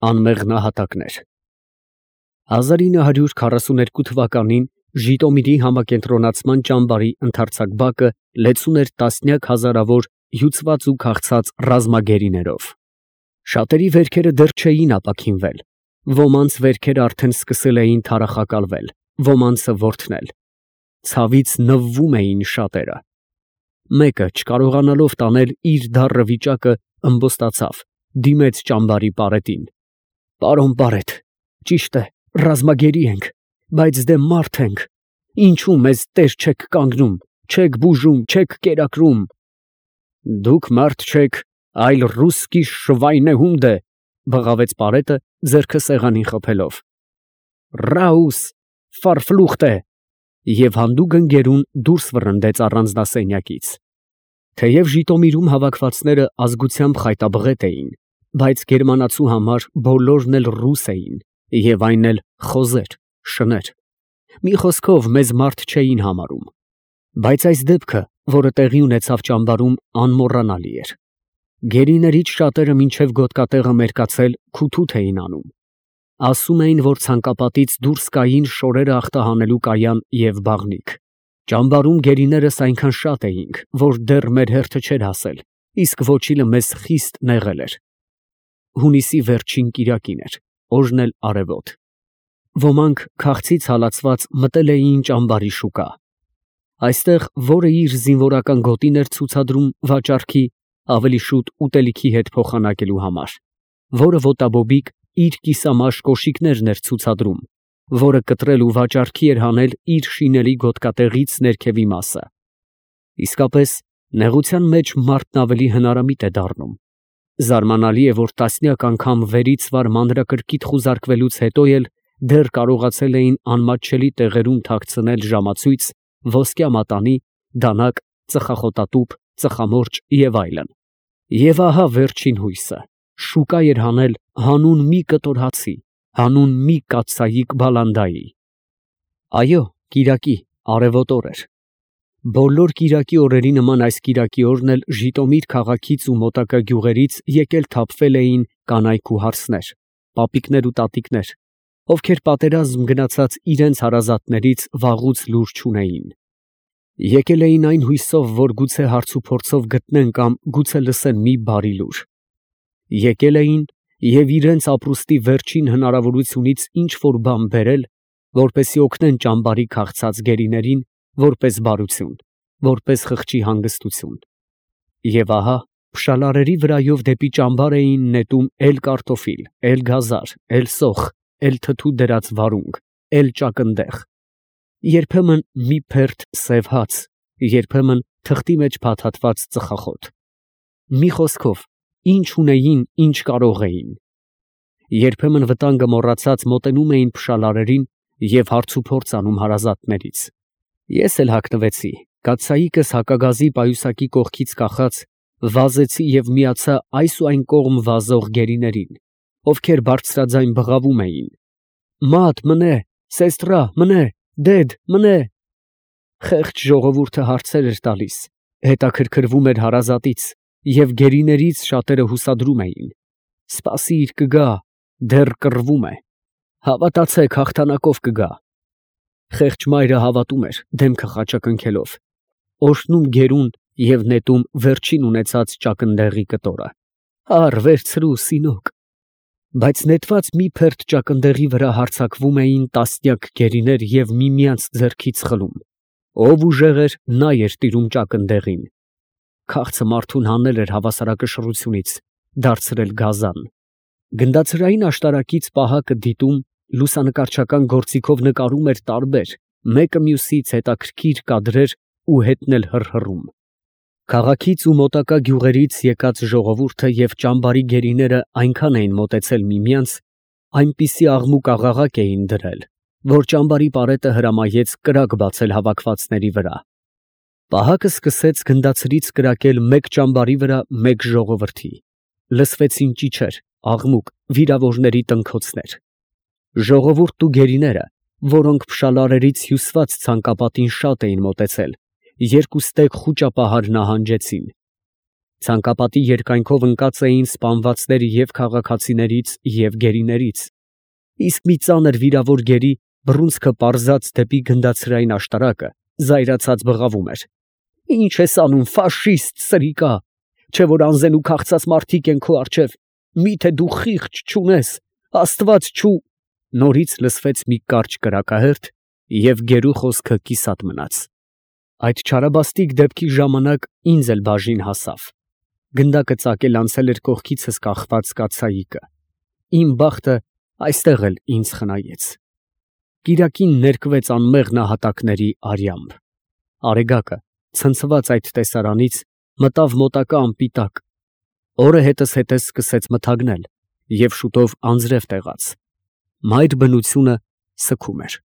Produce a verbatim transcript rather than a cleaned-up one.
Անմեղ նահատակներ հազար ինը հարյուր քառասուներկու թվականին Ժիտոմիրի համակենտրոնացման ճամբարի ընդարձակ բակը լեցուն էր տասնյակ հազարավոր հյուծված ու քաղցած ռազմագերիներով։ Շատերի վերքերը դեռ չէին ապաքինվել, ոմանց վերքերը արդեն սկսել էին թարախակալվել, ոմանցը ворթնել։ Ցավից նվվում էին շատերը։ Մեկը, չկարողանալով տանել իր դառը վիճակը, ըմբոստացավ, դիմեց ճամբարի պարետին։ Պարոն պարետ, ճիշտ է, ռազմագերի ենք, բայց դե մարդ ենք, ինչու մեզ տեր չեք կանգնում, չեք բուժում, չեք կերակրում։ Դուք մարդ չեք, այլ ռուսկի շվայնեհունդը, բղավեց պարետը, ձեռքը սեղանին խփելով։ Ռաուս, ֆարֆլուխտե, և հանդուգն գերուն դուրս վռնդեց առանձնասենյակից։ Թեև Ժիտոմիրում հավաքվածները ազգությամբ խայտաբղետ էին, բայց գերմանացու համար բոլորն էլ ռուս էին, և այն էլ խոզեր, շներ։ Մի խոսքով մեզ մարդ չէին համարում։ Բայց այս դեպքը, որը տեղի ունեցավ ճամբարում, անմոռանալի էր։ Գերիներից շատերը մինչև գոտկատեղը մերկացել քութութ էին անում։ Ասում էին, որ ցանկապատից դուրս կային շորերը ախտահանելու կայան և բաղնիք։ Ճամբարում գերիներս այնքան շատ էինք, որ դեռ մեր հերթը չէր հասել, իսկ ոչիլը մեզ խիստ նեղել էր։ Հունիսի վերջին կիրակին էր, օրն էլ արևոտ։ Ոմանք քաղցից հալածված մտել էին ճամբարի շուկա։ Այստեղ, որը իր զինվորական գոտին էր ցուցադրում վաճառքի, ավելի շուտ ուտելիքի հետ փոխանակելու համար, որը ոտաբոբիկ իր կիսամաշ կոշիկներն էր ցուցադրում, որը կտրել ու վաճառքի էր հանել իր շինելի գոտկատեղից ներքևի մասը։ Իսկապես, նեղության մեջ մարդն ավելի հնարամիտ է դառնում։ Զարմանալի է, որ տասնյակ անգամ վերից վար մանրակրկիտ խուզարկվելուց հետո էլ դեռ կարողացել էին անմատչելի տեղերում թաքցնել ժամացույց, ոսկյա մատանի, դանակ, ծխախոտատուփ, ծխամորճ և այլն։ Եվ ահա վերջին հույսը, շուկա էր հանել հանուն մի կտոր հացի, հանուն մի կաթսայիկ բալանդայի։ Այո, կիրակի, արևոտ օր էր։ Բոլոր կիրակի օրերի նման այս կիրակի օրն էլ Ժիտոմիր քաղաքից ու մոտակա գյուղերից եկել թափվել էին կանայք ու հարսներ, պապիկներ ու տատիկներ, ովքեր պատերազմ գնացած իրենց հարազատներից վաղուց լուր չունեին։ Եկել էին այն հույսով, որ գուցե հարցուփորձով գտնեն կամ գուցե լսեն մի բարի լուր։ Եկել էին և իրենց ապրուստի վերջին հնարավորությունից ինչ֊որ բան բերել, որպեսզի օգնեն ճամբարի քաղցած գերիներին, որպես բարություն, որպես խղճի հանգստություն։ Եվ ահա, փշալարերի վրայով դեպի ճամբար էին նետում էլ կարտոֆիլ, էլ գազար, էլ սոխ, էլ թթու դրած վարունգ, էլ ճակնդեղ, երբեմն մի փերթ սև հաց, երբեմն թղթի մեջ փաթաթված ծխախոտ։ Մի խոսքով, ինչ ունեին, ինչ կարող էին։ Երբեմն վտանգը մոռացած մոտենում էին փշալարերին և հարցուփորձ անում հարազատներից։ Ես էլ հագնվեցի, կաթսայիկս հակագազի պայուսակի կողքից կախած, վազեցի և միացա այս ու այն կողմ վազող գերիներին, ովքեր բարձրաձայն բղավում էին. «Մատ, մնե, սեստրա, մնե, դեդ, մնե»։ Խեղճ ժողովուրդը հարցեր էր տալիս, հետաքրքրվում էր հարազատից, և գերիներից շատերը հուսադրում էին. «Սպասիր, կգա, դեռ կռվում է, հավատացեք, հաղթանակով կգա»։ Խեղճ մայրը հավատում էր, դեմքը խաչակնքելով, օրհնում գերուն և նետում վերջին ունեցած ճակնդեղի կտորը։ «Առ, վերցրու, սինոկ»։ Բայց նետված մի փերթ ճակնդեղի վրա հարձակվում էին տասնյակ գերիներ և միմյանց ձեռքից խլում։ Ով ուժեղ էր, նա էր տիրում ճակնդեղին։ Քաղցը մարդուն հանել էր հավասարակշռությունից, դարձրել գազան։ Գնդացրային աշտարակից պահակը դիտում, լուսանկարչական գործիքով նկարում էր տարբեր, մեկը մյուսից հետաքրքիր կադրեր ու հետն էլ հռհռում։ Քաղաքից ու մոտակա գյուղերից եկած ժողովուրդը և ճամբարի գերիները այնքան էին մոտեցել միմյանց, այնպիսի աղմուկ֊աղաղակ էին դրել, որ ճամբարի պարետը հրամայեց կրակ բացել հավաքվածների վրա։ Պահակը սկսեց գնդացրից կրակել մեկ ճամբարի վրա, մեկ ժողովրդի։ Լսվեցին ճիչեր, աղմուկ, վիրավորների տնքոցներ։ Ժողովուրդն ու գերիները, որոնք փշալարերից հյուսված ցանկապատին շատ էին մոտեցել, երկուստեք խուճապահար նահանջեցին։ Ցանկապատի երկայնքով ընկած էին սպանվածները և քաղաքացիներից, և գերիներից, իսկ մի ծանր վիրավոր գերի, բռունցքը պարզած դեպի գնդացրային աշտարակը, զայրացած բղավում էր. «Ի՞նչ ես անում, ֆաշիստ սրիկա, չէ՞ որ անզեն ու քաղցած մարդիկ են քո առջև, մի՞թե դու խիղճ չունես, աստված չու…»։ Նորից լսվեց մի կարճ կրակահերթ, և գերու խոսքը կիսատ մնաց։ Այդ չարաբաստիկ դեպքի ժամանակ ինձ էլ բաժին հասավ. գնդակը ծակել անցել էր կողքիցս կախված կաթսայիկը, իմ բախտը այստեղ էլ ինձ խնայեց։ Կիրակին ներկվեց անմեղ նահատակների արյամբ։ Արեգակը, ցնցված այդ տեսարանից, մտավ մոտակա ամպի տակ, օրը հետզհետե սկսեց մթագնել և շուտով անձրև տեղաց։ Մայր բնությունը սգում էր։